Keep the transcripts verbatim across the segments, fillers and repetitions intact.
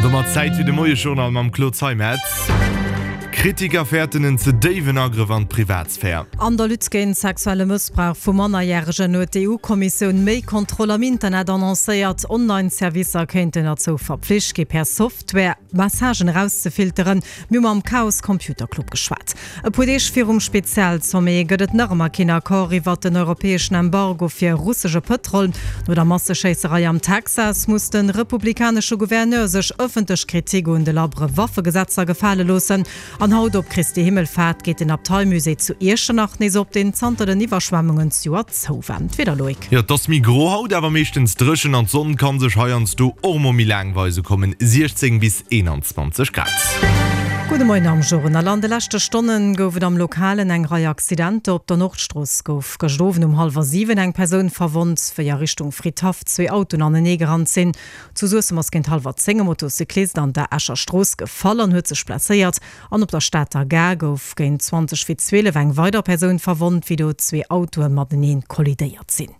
domat Zäit fir de Moiesjournal mam Claude Zeimetz. Kritiker fäerten en ze déiwen Agrëff an d'Privatsphär. An der Lutte géint sexuelle Mëssbrauch vu Mannerjäregen huet d'EU-Kommissioun méi Kontroll am Internet annoncéiert. Online-Servicer kéinten derzou verpflicht gi per Software Messagen erauszefilteren. Mir hu mam Chaos Computer Club geschwat. E puer Deeg virum Spezialsommet gëtt et nach ëmmer keen Accord iwwert den europäeschen Embargo fir russesche Pëtrol. No der Masseschéisserei am Texas muss de republikanesche Gouverneur sech ëffentlech Kritik un de labbere Waffegesetzer gefale loossen. An haut op Christi Himmelfaart geet den Abteimusée zu Iechternach nees op, deen zanter den Iwwerschwemmungen zejoert zou war. D'Wieder, Loïc. Jo, et ass méi gro haut, awer meeschtens dréchen an d'Sonn kann sech heiansdo och mol méi laang weise kommen, siechzéng bis eenanzwanzeg Grad. Gudde Moien am Journal. An de leschte Stonne gouf et am Lokalen eng Rei Accidenter. Op der Nordstrooss gouf gëscht Owend um hallwer siwen eng Persoun verwonnt, wéi a Richtung Fridhaff zwee Autoen anenee gerannt sinn. Zu Suessem ass géint hallwer zéng e Motocyclist an der Escher Strooss gefall an huet sech blesséiert. An op der Stater Gare gouf géint zwanzeg vir zwielef eng weider Persoun verwonnt, wéi do zwee Autoe matenee kollidéiert sinn.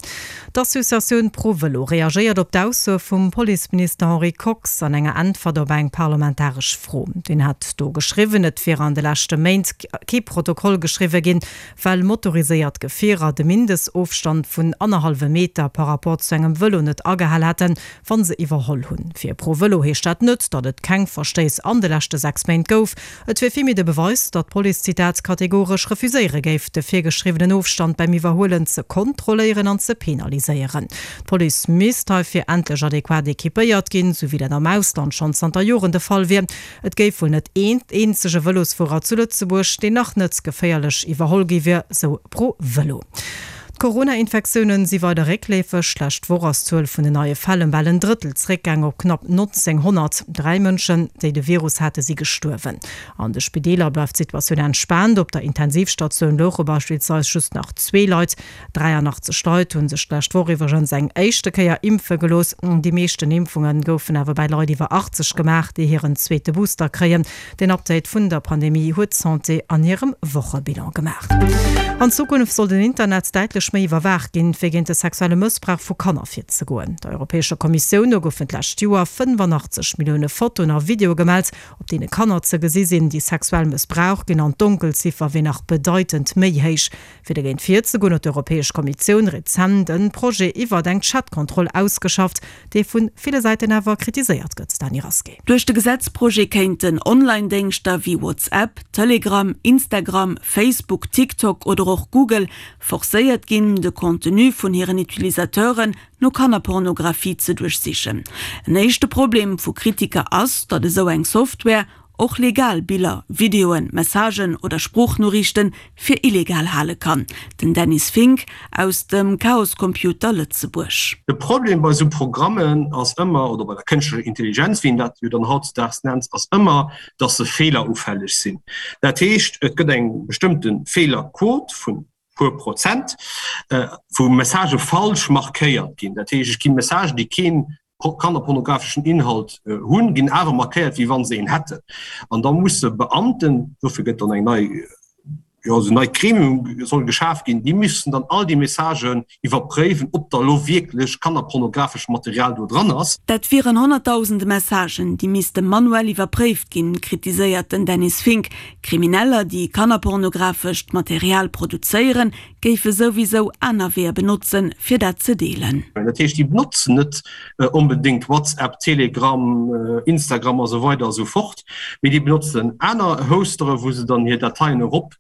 D'Associatioun ProVëlo reagéiert op d'Aussoe vum Policeminister Henri Kox an enger Äntwert op eng parlamentaresch Fro. Deen hat do geschriwwen, et wier an de leschte Méint kee Protokoll geschriwwe ginn, well motoriséiert Gefierer de Mindestofstand vun annerhallwem Meter par rapport zu engem Vëlo net agehal hätten, wa se iwwerholl hunn. Fir ProVëlo heescht dat net, datt et keng Verstéiss an de leschte sechs Méint gouf. Et wier villméi de Beweis, datt d'Police, Zitat, kategoresch refuséiere géif, de virgeschriwwenen Ofstand beim Iwwerhuelen ze kontrolléieren an ze penaliséieren. D'Police misst heifir endlech adequat equipéiert ginn, sou wéi dat am Ausland schonn zanter Joren de Fall wier. Et géif wuel net een eenzege Vëlosfuerer zu Lëtzebuerg, deen nach net geféierlech iwwerholl gi wier, sou ProVëlo. D'Corona-Infektiounen si weider réckleefeg. D'lescht Woch ass d'Zuel vun den neie Fäll ëm bal en Drëttel zréckgaang op knapp nonzénghonnert. Dräi Mënschen, déi de Virus hate si gestuerwen. An de Spideeler bleift d'Situatioun entspaant. Op der Intensivstatioun louche beispillsweis just nach zwee Leit. dräianachtzeg Leit hu sech d'lescht Woch iwwregens eng éischte Kéier impfe gelooss. Déi meeschten Impfunge goufen awer bei Leit iwwer achtzeg gemaach, déi hiren zweete Booster kréien. Den Update vun der Pandemie huet d'Santé an hirem Wochebilan gemaach. An Zukunft soll den Internet däitlech méi iwwerwaacht ginn, fir géint de sexuelle Mëssbrauch vu Kanner virzegoen. Der Europäescher Kommissioun no goufen d'lescht Joer fënnefannachtzeg Millioune Fotoen a Videoe gemellt, op deene Kanner ze gesi sinn, déi sexuell mëssbraucht ginn, an d'Donkelziffer wier nach bedeitend méi héich. Fir dogéint virzegoen, huet d'Europäesch Kommissioun rezent e Projet iwwert eng Chatkontroll ausgeschafft, dee vu ville Säiten awer kritiséiert gëtt. Dany Rasqué. Duerch de Gesetzprojet kéinten Online-Déngschter wéi WhatsApp, Telegram, Instagram, Facebook, TikTok oder och Google forcéiert ginn, de Contenu vun hiren Utilisateuren no Kannerpornografie ze duerchsichen. En éischte Problem vu Kritiker ass, datt esou eng Software och legal Biller, Videoen, Messagen oder Sproochnoriichte fir illegal hale kann. Den Dennis Fink aus dem Chaos Computer Lëtzebuerg. De Problem bei esou Programmen ass ëmmer, oder bei der kënschtlecher Intelligenz, wéi een dat jo dann hautdesdaags nennt, ass ëmmer, dass se feelerufälleg sinn. Dat heescht, et gëtt eng bestëmmte Feelerquot vun puer Prozent, wou Messagë falsch markéiert ginn. Dat heescht, et gi Messagen, déi keen kannerpornografeschen Inhalt hunn, ginn awer markéiert, wéi wa se een hätten. An da musse Beamten, dofir gëtt dann eng nei, jo, esou neit Gremium soll geschaf ginn, déi müssen dann all déi Messagen iwwerpréiwen, ob da elo wierklech kannerpornografescht Material do dran ass. Dat wieren honnertdausende Messagen, déi misste manuell iwwerpréift ginn, kritiséiert den Dennis Fink. Krimineller, déi kannerpornografescht Material produzéieren, géife souwisou aner Weeër benotzen, fir dat ze deelen. Dat heescht, déi benotzen net onbedéngt WhatsApp, Telegram, Instagram a sou weider a sou fort, mee déi benotzen aner Hostere, wou se dann hir Dateien erop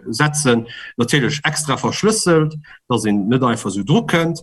setzen, natierlech extra verschlësselt, dass een net einfach esou dru kënnt.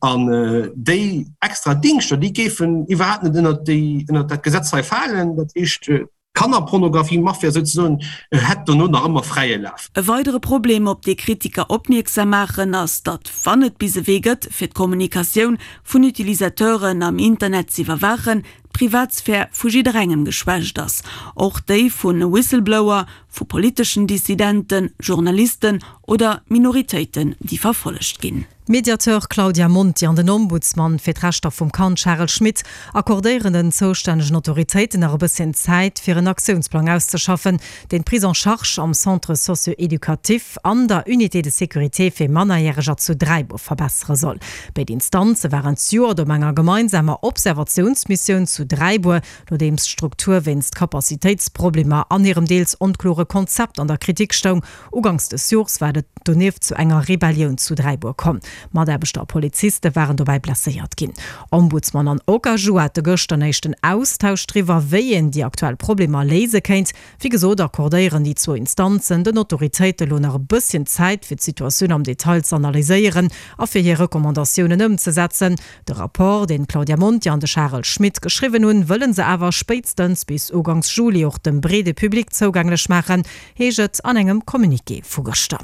An déi extra Dingschter, déi géifen iwwerhaapt net ënnert déi, ënnert dat Gesetz hei falen. Dat heescht, d'Kannerpornografie-Mafia souzesoen hätt dono nach ëmmer fräie Laf. E weidere Problem, op dee Kritiker opmierksam maachen, ass, datt, wann et bis e Wee gëtt, fir d'Kommunikatioun vun Utilisateuren am Internet z'iwwerwaachen, d'Privatsphär vu jidderengem geschwächt ass, och déi vu Whistleblower, vu politeschen Dissidenten, Journalisten oder Minoritéiten, déi verfollegt ginn. D'Mediateur Claudia Monti an den Ombudsman fir d'Rechter vum Kand Charel Schmit accordéieren den zoustännegen Autoritéiten nach e bësschen Zäit, fir en Aktiounsplang auszeschaffen, deen d'Prise en charge am Centre socio-éducatif an der Unité de sécurité fir Mannerjäreger zu Dräibuer verbessere soll. Béid Instanze waren d'Joert op enger gemeinsamer Observatiounsmissioun zu zu Dräibuer, nodeems d'Struktur wéinst Capacitéitsproblemer an hirem deels onklore Konzept an der Kritik stoung. Uganks des Jores war et donieft zu enger Rebellioun zu Dräibuer komm. Mataarbechter a Poliziste waren dobäi blesséiert ginn. Ombudsman an Okaju hate gëschter en éischten Austausch driwwer, wéi een déi aktuell Problemer léise kéint. Wéi gesot accordéieren déi zwou Instanzen den Autoritéite lo nach e bësschen Zäit, fir d'Situatioun am Detail z'analyséieren a fir hir Recommandatiounen ëmzesetzen. De Rapport, deen d'Claudia Monti an de Charel Schmit geschriwwen hunn, wëlle se awer spéitstens bis uganks Juli och dem breede Public zougänglech maachen, heescht et an engem Communiqué vu gëschter.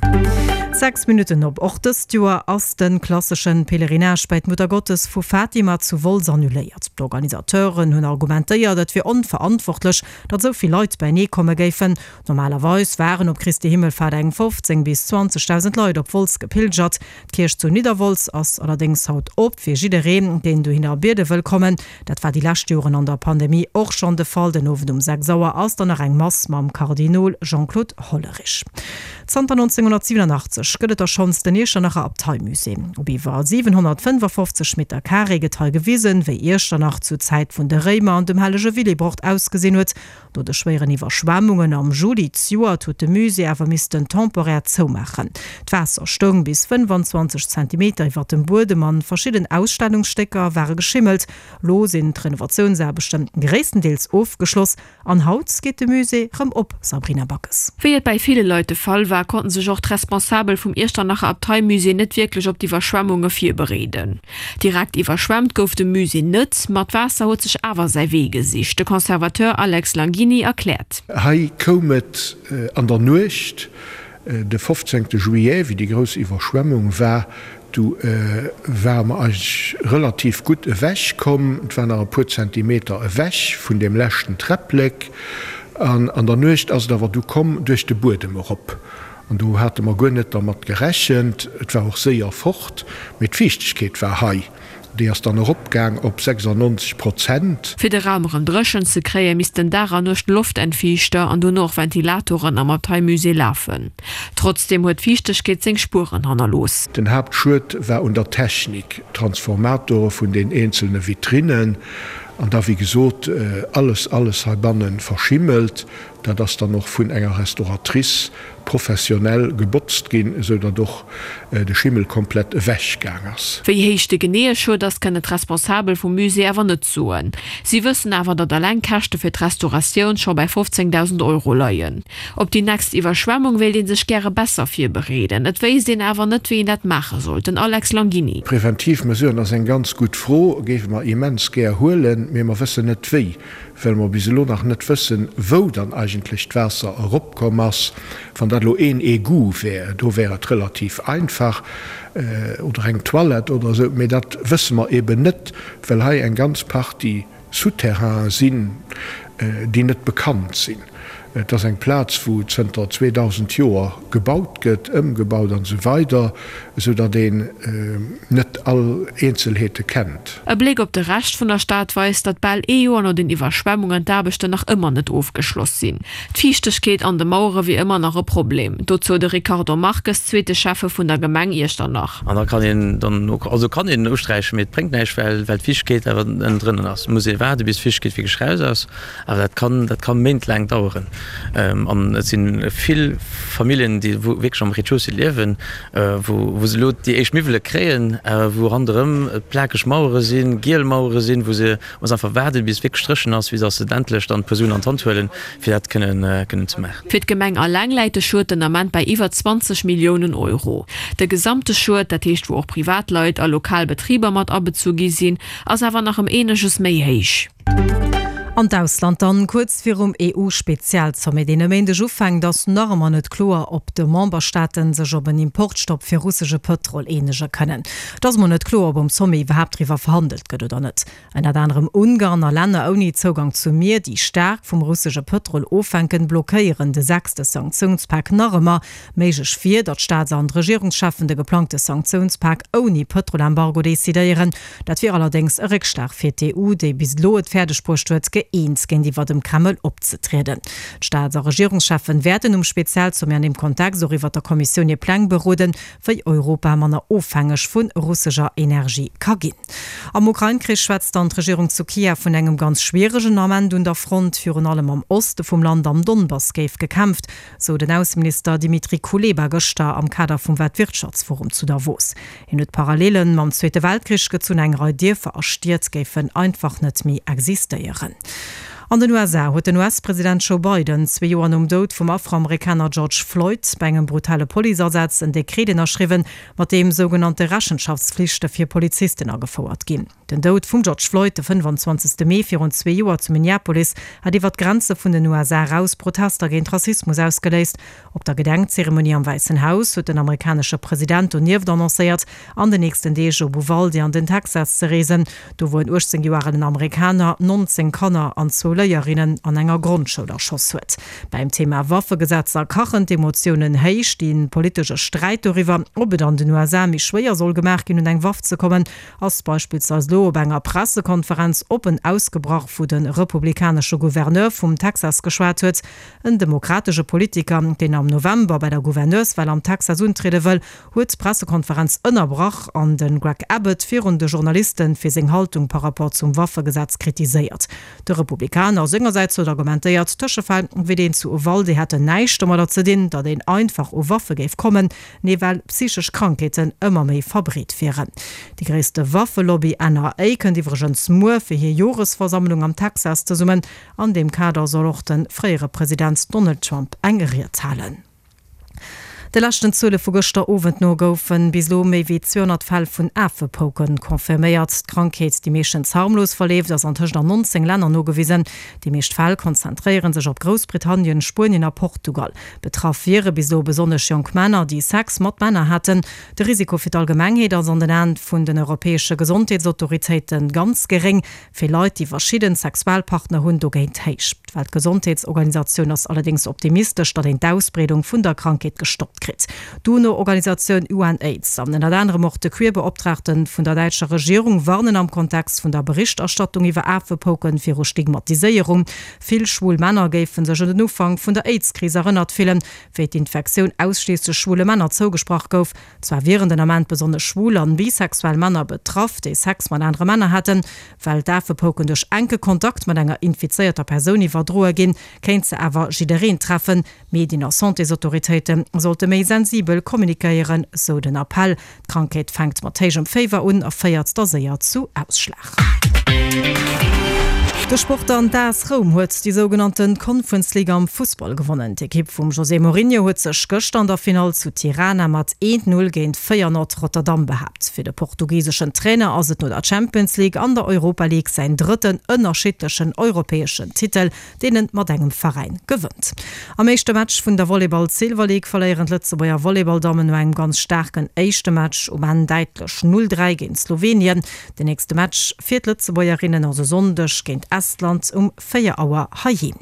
Sechs Minutten op. Och dëst Joer ass de klassesche Pèlerinage bei d'Muttergottes vu Fatima zu Wolz annuléiert. D'Organisateuren hunn argumentéiert, et wier onverantwortlech, datt esou vill Leit beienee komme géifen. Normalerweis waren op Christi Himmelfahrt eng fofzéng bis zwanzegdausend Leit op Wolz gepilgert. D'Kierch zu Nidderwolz ass allerdéngs haut op fir jiddereen, deen dohinner biede wëll kommen. Dat war déi lescht Joren an der Pandemie och schonn de Fall. Den Owend um sechs Auer ass dann nach eng Mass mam Kardinol Jean-Claude Hollerich. Zanter nonzénghonnertsiwwenundachtzeg gëtt et der schonns den Iechternacher Abteimusée. Op iwwer siwenhonnertfënnefafofzeg Meter Carré gëtt hei gewisen, wéi Iechternach zur Zäit vun de Réimer an dem hellege Willibrord ausgesinn huet. No de schwéieren Iwwerschwemmungen am Juli zejoert huet de Musée awer missten temporär zoumaachen. D'Waasser stoung bis fënnfanzwanzeg Zentimeter iwwer dem Buedem an verschidden Ausstellungsstécker ware geschimmelt. Lo sinn d'Renovatiounsaarbechte gréisstendeels ofgeschloss an haut geet de Musée rëm op, Sabrina Backes. Wéi et bäi ville Leit de Fall war, konnten sech och d'Responsabel vum Iechternacher Abteimusée net wierklech op d'Iwwerschwemmunge virbereeden. Direkt iwwerschwemmt gouf de Musée net, ma d'Waasser huet sech awer säi Wee gesicht. De Conservateur Alex Langini erkläert. Hei koum et an der Nuecht, de fofzéngte Juillet, wéi déi grouss Iwwerschwemmung war, du ware mer eigentlech relativ gutt ewech komm. Et war nach e puer Zentimeter ewech vun deem leschten Träpplek. An an der Nuecht ass et awer du komm duerch de Buedem erop. An do hate mer guer net dermat gerechent. Et war och séier fort, mee d'Fiichtegkeet war hei. Déi ass dann eropgaang op sechsundneunzeg Prozent. Fir de Raum erëm dréchen ze kréien, missten Dag an Nuecht Loftentfiichter an dono och Ventilatoren am Abteimusée lafen. Trotzdeem huet d'Fiichtegkeet seng Spueren hannerlooss. Den Haaptschued war un der Technik, Transformatore vun den eenzelne Vitrinnen an da wéi gesot alles, alles heibanne verschimmelt. Dat ass dann och vun enger Restauratrice professionell gebotzt ginn, esou datt och de Schimmel komplett ewech gaang ass. Wéi héich de geneeë Schued ass, kënnen d'Responsabel vum Musée awer net soen. Si wëssen awer, datt eleng d'Käschte fir d'Restauratioun scho bäi fofzéngdausend Euro leien. Op déi nächst Iwwerschwemmung wéilt ee sech gäre besser virbereeden. Et wéisst een awer net, wéi een dat maache soll. Den Alex Langini. Preventiv Mesuren ass eng ganz gutt Fro, géife mer immens gär huelen, mee mer wëssen net wéi. Well mer bis elo nach net wëssen, wou dann eigentlech d'Waasser eropkomm ass. Wann dat elo een Egout wär, do wär et relativ einfach, oder eng Toilette oder esou, mee dat wësse mer eben net, well hei eng ganz Partie Souterrainen sinn, déi net bekannt sinn. Et ass eng Plaz, wou zënter zweedausend Joer gebaut gëtt, ëmgebaut an esou weider, esou datt een net all Eenzelheete kennt. E Bléck op de Rescht vun der Stad weist, datt bal ee Joer no den Iwwerschwemmungen d'Aarbechten nach ëmmer net ofgeschloss sinn. D'Fiichtegkeet an de Mauere wier ëmmer nach e Problem. Dozou de Ricardo Marques, zweete Schäffe vun der Gemeng Iechternach. An da kann een dann och, also kann een usträichen, mee et bréngt näischt, well well d'Fiichtegkeet awer ënnendrënnen ass. Et muss ee waarde bis d'Fiichtegkeet wierklech raus ass. Awer dat kann, dat kann méintlaang daueren. An et si vill Familljen, déi wierklech am Rez-de-chaussée liewen, wou wou se elo déi éischt Miwwele kréien, awer wou ronderëm et plakeg Mauere sinn, giel Mauere sinn, wou se muss einfach waarden, bis et wierklech dréchen ass, fir datt se endlech dann d'Persounen an d'Hand huelen, fir dat kënnen kënnen ze maachen. Fir d'Gemeng alleng läit de Schued den Ament bei iwwer zwanzeg Milliounen Euro. De gesamte Schued, dat heescht wou och Privatleit a lokal Betriber mat abezu gi sinn, ass awer nach ëm eeneges méi héich. An d'Ausland dann, Kuerz virum E U-Spezialsommet, deen e Méindeg ufänkt, ass nach ëmmer net kloer, ob de Memberstaaten sech op en Importstopp fir russesche Pëtrol eenege kënnen. Et ass emol net kloer, ob um Sommet iwwerhaapt driwwer verhandelt gëtt oder net. Ënnert anerem Ungarn a Länner ouni Zougang zum Mier, déi staark vum russesche Pëtrol ofhänken, blockéieren de sechste Sanktiounspak nach ëmmer. Méiglech wier, datt d'Staats an d'Regierungscheffen de geplangte Sanktiounspak ouni Pëtrolembargo decidéieren. Dat wier allerdéngs e Réckschlag fir d'E U, déi bis elo et fäerdeg bruecht huet, gëeent géintiwwer dem Kreml opzetrieden. D'Staats a Regierungscheffen wäerten um Spezialsommet an deem Kontext och iwwer der Kommissioun hir Pläng beroden, wéi Europa manner ofhängeg vu russescher Energie ka ginn. Am Ukrain-Krich schwätzt dann d'Regierung zu Kiew vun engem ganz schwieregen Ament un der Front. Virun allem am Oste vum Land, am Donbass, géif gekämpft, sou den Ausseminister Dmitri Kuleba gëschter am Kader vum Weltwirtschaftsforum zu Davos. Hien huet Parallelen mam Zweete Weltkrich gezunn, eng Rei Dierfer a Stied géifen einfach net méi existéieren. An den U S A huet den U S-President Joe Biden zwee Joer nom Doud vum Afroamerikaner George Floyd bei engem brutale Policeasaz en Dekret ënnerschriwwen, mat deem sougenannte Rechenschaftsflichte fir Polizisten agefouert ginn. Den Doud vum George Floyd de fënnefanzwanzegste Mee virun zwee Joer zu Minneapolis hat iwwer d'Grenze vun den U S A eraus Protester géint Rassismus ausgeléist. Op der Gedenkzeremonie am Wäissen Haus huet den amerikanesche President donieft annoncéiert, an den nächsten Deeg op Uvalde an den Texas ze reesen, do wou en uechtzéng Joer alen Amerikaner nonzéng Kanner an zwou Léierinnen an enger Grondschoul erschoss huet. Beim Thema Waffegesetzer kachen d'Emotiounen héich. De politesche Sträit doriwwer, ob et an den U S A méi schwéier soll gemaach ginn, un eng Waff ze kommen, ass beispillsweis elo op enger Pressekonferenz oppen ausgebrach, wou de republikanesche Gouverneur vum Texas geschwat huet. En demokratesche Politiker, deen am November bei der Gouverneurswal am Texas untriede wëll, huet d'Pressekonferenz ënnerbrach an de Greg Abbott virun de Journalisten fir seng Haltung par rapport zum Waffegesetz kritiséiert. De Republikaner sengersäits huet argumentéiert, Tëschefäll wéi deen zu Uvalde hätten näischt domadder ze dinn, datt een einfach u Waffe géif kommen, nee well psychesch Krankheeten ëmmer méi verbreet wieren. Déi gréisste Waffelobby N R A kënnt iwwregens muer fir hir Joresversammlung am Texas zesummen. An deem Kader soll och de fréiere President Donald Trump eng Ried halen. De leschten Zuele vu gëschter Owend no goufen bis elo méi wéi zweehonnert Fäll vun Afepouken confirméiert. D'Krankheet, déi meeschtens harmlos verleeft, ass antëscht an nonzéng Länner nogewisen. Déi meescht Fäll konzentréiere sech op Groussbritannien, Spuenien a Portugal. Betraff wiere bis elo besonnesch jonk Männer, déi Sex mat Männer haten. De Risiko fir d'Allgemengheet ass an den Aen vun den europäesche Gesondheetsautoritéite ganz geréng. Fir Leit, déi verschidden Sexualpartner hunn, dogéint héich. D'Weltgesondheetsorganisatioun ass allerdéngs optimistesch, datt een d'Ausbreedung vun der Krankheet gestoppt kritt. D'UNO-Organisatioun U N AIDS an ënnert anerem och de Queerbeoptraagte vun der däitscher Regierung warnen am Kontext vun der Berichterstattung iwwer Afepouken viru Stigmatiséierung. Vill schwul Männer géifen sech un den Ufank vun der AIDS-Kris erënnert fillen, wéi d'Infektioun ausschliisslech schwule Männer zougesprach gouf. Zwar wieren den Ament besonnesch schwul an bisexuell Männer betraff, déi Sex mat anere Männer haten, well d'Afepouken duerch enke Kontakt mat enger infizéierter Persoun iwwerdroe ginn, kéint se awer jiddereen treffen. Medien a Santésautoritéite sollte méi sensibel kommunikéieren, sou den Appell. D'Krankheet fänkt mat héijem Féiwer un a féiert da séier zu Ausschlag. De Sport an d'A S Roum huet déi sougenannten Conference League am Fussball gewonnen. D'Ekipp vum José Mourinho huet sech gëschter an der Finall zu Tirana mat eent null géint Feyenoord Rotterdam behaapt. Fir de portugiseschen Trainer ass et no der Champions League an der Europa League säin drëtten ënnerschiddlechen europäeschen Titel, deen en mat engem Veräin gewënnt. Am éischte Match vun der Volleyball Silver League verléieren d'Lëtzebuerger Volleyballdammen no engem ganz staarken éischte Match um Enn däitlech null dräi géint Slowenien. Den nächste Match fir d'Lëtzebuergerinnen ass e Sonndeg géint Estland um véier Auer heiheem.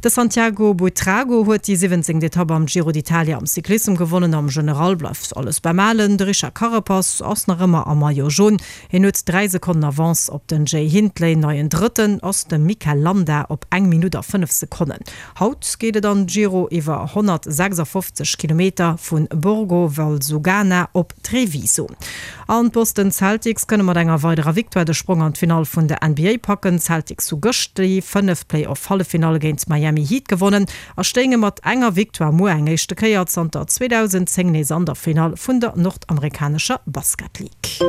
De Santiago Buitrago huet déi siwwenzéngte Etapp am Giro d'Italia am Cyclissem gewonnen. Am General bleift alles beim Alen. De Richard Carapaz ass nach ëmmer am Maillot jaune. Hien huet dräi Sekonnen Avance op den Jay Hindley. Neien Drëtten ass de Mikel Landa op eng Minutt a fënnef Sekonnen. Haut geet et an Giro iwwer honnertsechsafofzeg Kilometer vun Borgo Valsugana op Treviso. An d'Boston Celtics kënne mat enger weiderer Victoire de Sprong an d'Finall vun der N B A packen. Celtics hu gëscht déi fënnef Play-off-Halleffinalle géint Miami Heat gewonnen a stéinge mat enger Victoire muer eng éischte Kéier zanter zweetausendzéng nees an der Finall vun der nordamerikanescher Basket League.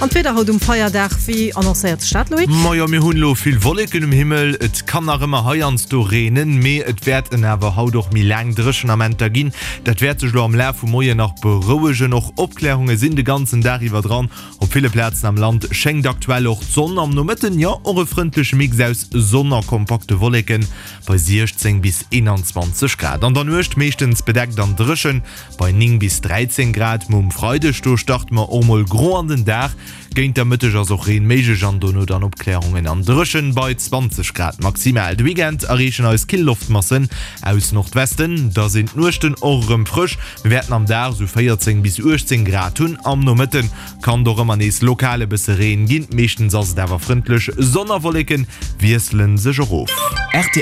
An d'Wieder haut um Feierdag, wéi annoncéiert d'Stad, Loïc? Majo, mir hunn elo vill Wolleken um Himmel. Et kann nach ëmmer heiansdo reenen, mee et wäerten awer haut och méi laang Dréchenamenter ginn. Dat wäert sech elo am Laf vum Moien nach berouegen. Och Opklärunge sinn de ganzen Dag iwwer dran. Op ville Plazen am Land schéngt aktuell och d'Sonn. Am Nomëtten, jo, och e frëndleche Mix aus Sonn a kompakte Wolleken bei siechzéng bis eenanzwanzeg Grad. An der Nuecht meeschtens bedeckt an dréchen bei néng bis dräizéng Grad. Muer um Freideg, do starte mer och mol gro an den Dag. Géint der Mëtteg ass och Reen méiglech an dono dann Opklärungen an dréchen bei zwanzeg Grad maximal. De Weekend erreechen eis kill Loftmassen aus Nordwesten. Da sinn d'Nuechten och erëm frësch. Mir wäerten am Dag sou véierzéng bis uechtzéng Grad hunn. Am Nomëtten kann doch ëmmer nees lokal e bësse Reen ginn. Meeschtens ass et awer frëndlech. Sonn a Wolleken wiesselen sech och of. R T